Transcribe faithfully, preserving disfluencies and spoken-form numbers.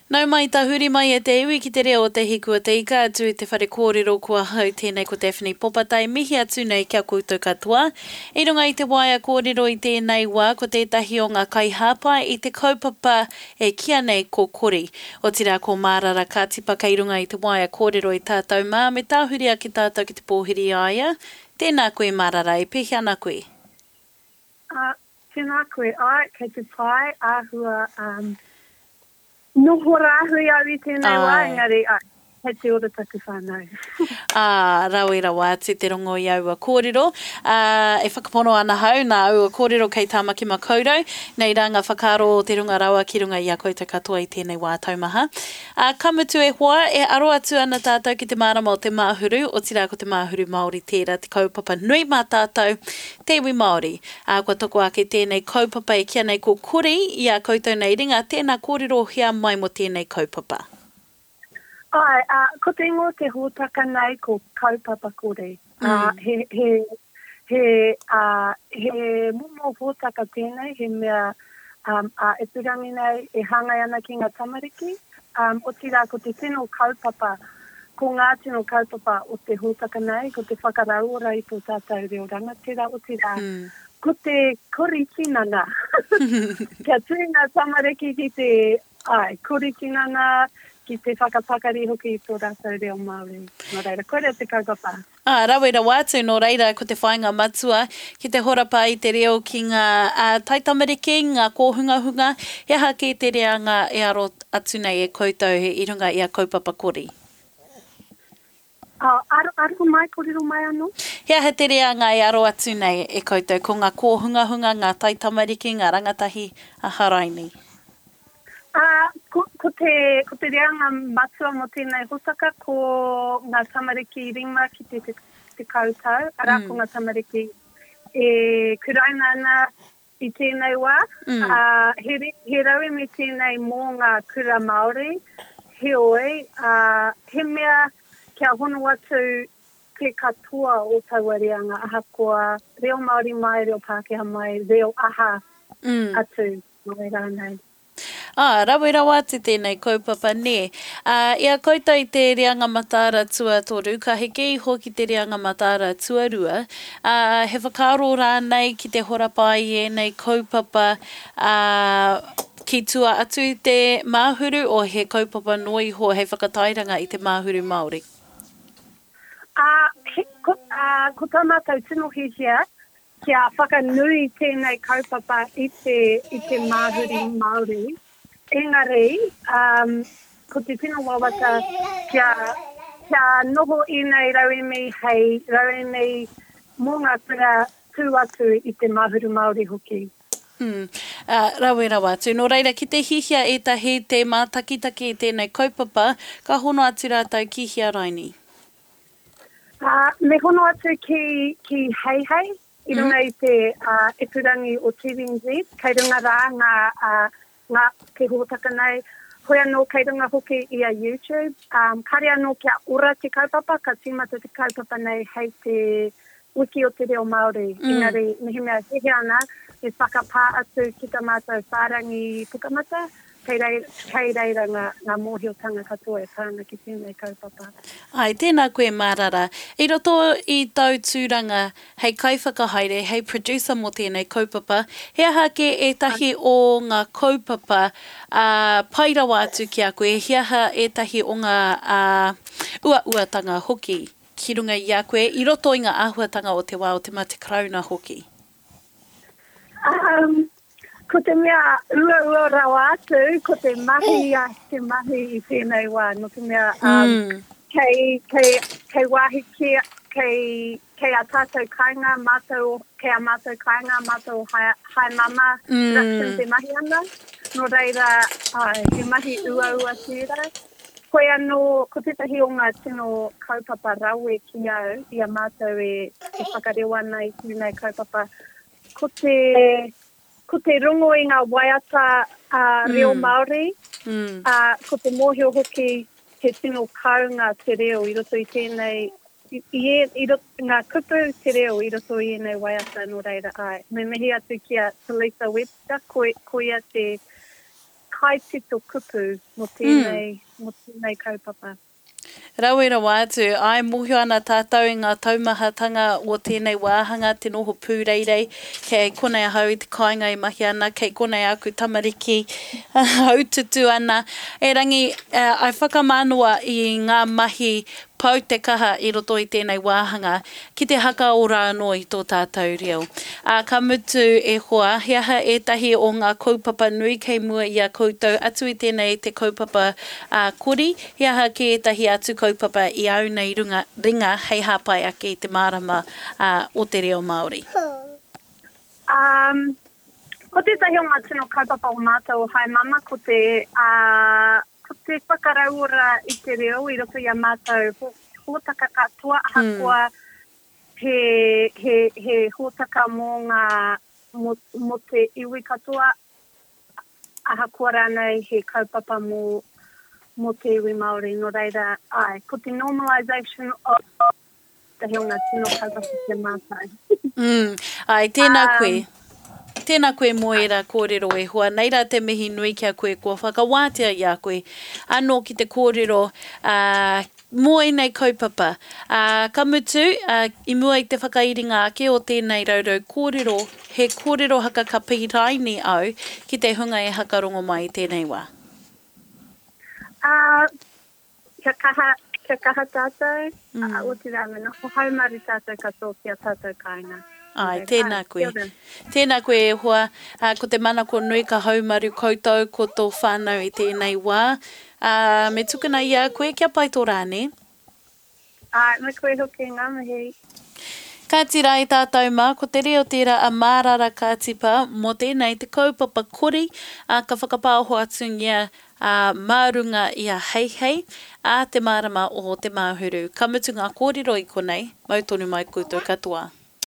Nau mai tahuri mai e te iwi ki te reo o Te Hiku o Te Ika atu i te whare kōrero ko ahau tēnei ko Daphne Popatai mihi atu nei ki a koutou katoa. I runga i te waea kōrero i tēnei wā ko tētahi o ngā kaihāpai i te kaupapa e kīa nei ko Kori. Otirā ko Mārara Kātipa kei runga i te waea kōrero i tātou mā me tāhuri ake tātou ki te pōhiri i a ia. Tēnā koe Mārara, e pēhea ana koe? Uh, tēnā koe, ai, kei te pai, āhua, um, Noho rāhui au i tēnei wā, engari, āe, kei te ora taku whānau. Ā, rawe rawa atu te rongo i aua kōrero. Ā, e whakapono ana hau, nā aua kōrero kei Tāmaki Makaurau, nei rā ngā whakaaro o te runga rawa ki runga i a koutou katoa i tēnei wā taumaha. Ā, ka mutu e hoa, e aro atu ana tātou ki te mārama o te Māhuru, otirā ko te Māhuru Māori tērā te kaupapa nui mā tātou, te iwi Māori. Ā, kua toko ake tēnei kaupapa e kīa nei ko Kori i ā koutou nei ringa, tēnā kōrerohia mai mō tēnei kaupapa. Āe, ā, ko te ingoa o te hōtaka nei ko Kaupapa Kore. Ā, he, he, he, ā, he momo hōtaka tēnei, he mea, ā, ā-ipurangi nei e hāngai ana ki ngā tamariki, ā, otirā ko te tino kaupapa, ko ngā tino kaupapa o te hōtaka nei, ko te whakarauora i tō tātou reo rangatira, otirā ko te kori tinana. Kia tū ngā tamariki ki te, āe, kori tinana, ki te whakapakari hoki i tō rātou reo Māori. Nō reira, koirā te kaupapa. Ā, rawe rawa atu, nō reira, ko te whāinga matua, ki te horapa i te reo ki ngā taitamariki, ngā kōhungahunga, he aha kē te reanga e aro atu nei e koutou i runga i a Kaupapa Kori? Ā, aro, aro mai, kōrero mai anō. He aha te reanga e aro atu nei e koutou, ko ngā kōhungahunga, ngā taitamariki, ngā rangatahi, aha raini? Ā, ko, ko te, ko te reanga matua mō tēnei hōtaka ko ngā tamariki rima ki te tekau tau, arā, ko ngā tamariki e kuraina ana i tēnei wā. Ā, he, he rauemi tēnei mō ngā kura Māori, heoi, ā, he mea kia hono atu te katoa o taua reanga, ahakoa reo Māori mai, reo Pākehā mai, reo aha atu mai rānei. Ā, rawe rawa atu tēnei kaupapa, nē. Ā, i a koutou i te reanga mataara tuatoru, ka heke iho ki te reanga mataara tuarua, ā, he whakaaro rānei ki te horapa i ēnei kaupapa, ā, ki tua atu i te Māhuru, o he kaupapa noa iho hei whakatairanga i te Māhuru Māori? Ā, he, ko, ā, ko tā mātou tino hiahia, Kia whakanui tēnei kaupapa i te, i te māhuri Māori. Engari, um, ko te tino wawata kia, kia noho ēnei rauemi hei rauemi mō ngā kura tū atu i te Māhuru Māori hoki. Mm. Uh, rawe rawa atu. Nō reira, ki te hihia ētahi te mātakitaki i tēnei kaupapa, ka hono atu rātou ki hea raini? Ā, me hono atu ki, ki Heihei, i runga i te uh, ipurangi o T V N Z, kei runga rā ngā, uh, ngā te hōtaka nei, hoi anō kei runga hoki i a YouTube. Um, kare anō kia ora te kaupapa, ka tīmata te kaupapa nei hei te wiki o te reo Māori. Mm. Engari, mehemea hehea ana, me whakapā atu ki tā mātou whārangi pukamata, Kei reira, kei reira ngā, ngā mōhiotanga katoa e pā ana ki tēnei kaupapa. Āe, tēnā koe Mārara. I roto i tōu tūranga hei kaiwhakahaere, hei producer mō tēnei kaupapa, he aha kē ētahi o ngā kaupapa, ā, pai rawa atu ki a koe, he aha ētahi o ngā, ā, uauatanga hoki ki runga i a koe i roto i ngā āhuatanga o te wā o te mate karauna hoki? Um, ko te mea uaua rawa atu, ko te mahi a te mahi i tēnei wā, nō te mea um, mm. kei, kei, kei wāhi kē, kei, kei a tātou kāinga, mātou, kei a mātou kāinga, mātou hai, hai mama, mm. production te mahi ana. Nō reira, ai, he mahi uaua tērā. Koe anō, ko tētahi o ngā tino kaupapa rawe ki au, i a mātou e, e whakarewa ana i tēnei kaupapa, ko te, ko te rongo i ngā waiata a reo mm. Māori, mm. a, ko te mōhio hoki he tino kounga te reo i roto i tēnei, i, i, i roto, ngā kupu te reo i roto i ēnei waiata nō reira ai. Me mihi atu ki a Talitha Webster, ko, ko ia te kaitito kupu mō tēnei, mm. mō tēnei kaupapa. Rawe rawa atu, āe mōhio ana tātou i ngā taumahatanga o tēnei wāhanga te noho pūreirei, kei konei ahau i te kāinga e mahi ana, kei konei aku tamariki haututu ana. Erangi, I whakamānawa i ngā mahi pau te kaha i roto i tēnei wāhanga ki te hakaora anō i tō tātou reo. Ā, ka mutu e hoa, he aha ētahi o ngā kaupapa nui kei mua i a koutou atu i tēnei te kaupapa ā kori, he aha kē ētahi atu kaupapa i āu nei runga, ringa hei hāpai ake i te mārama ā, o te reo Māori? Um, ko tētahi o ngā tino kaupapa o mātou o Hi Mama ko te, ā, ko te whakarauora i te reo i roto i a mātou hōtaka katoa ahakoa he, he, he hōtaka mō ngā, mō, mō te iwi katoa, ahakoa rānei he kaupapa mō, mō te iwi Māori. Nō reira, āe, ko te normalisation of tētahi o ngā tino kaupapa ki a mātou. Mm, āe, tēnā koe. Tēnā koe mō ērā kōrero e hoa. Nei rā te mihi nui ki a koe kua whakawātea i a koe anō ki te kōrero ā, mō ēnei kaupapa. Ā, ka mutu, ā, i mua i te whakairinga ake o tēnei raurau kōrero, he kōrero haka ka pīraini au ki te hunga e hakarongo mai i tēnei wā. Ā, Kia kaha, kia kaha tātou, mm. otirā me noho haumaru tātou katoa ki a tātou kāinga. Āe, tēnā koe. Tēnā koe e hoa. Ā, ko te manako nui ka haumaru koutou ko tō whānau i tēnei wā. Ā, me tukuna i a koe kia pai tō rā, nē? Āe, me koe hoki, ngā mihi. Kāti rā i tātou mā, ko te reo tērā a Mārara Kātipa mō tēnei te kaupapa kori, ā, ka whakapāoho atungia, ā, mā runga i a Heihei, ā te marama o te Māhuru. Ka mutu ngā kōrero i konei, mau tonu mai koutou katoa.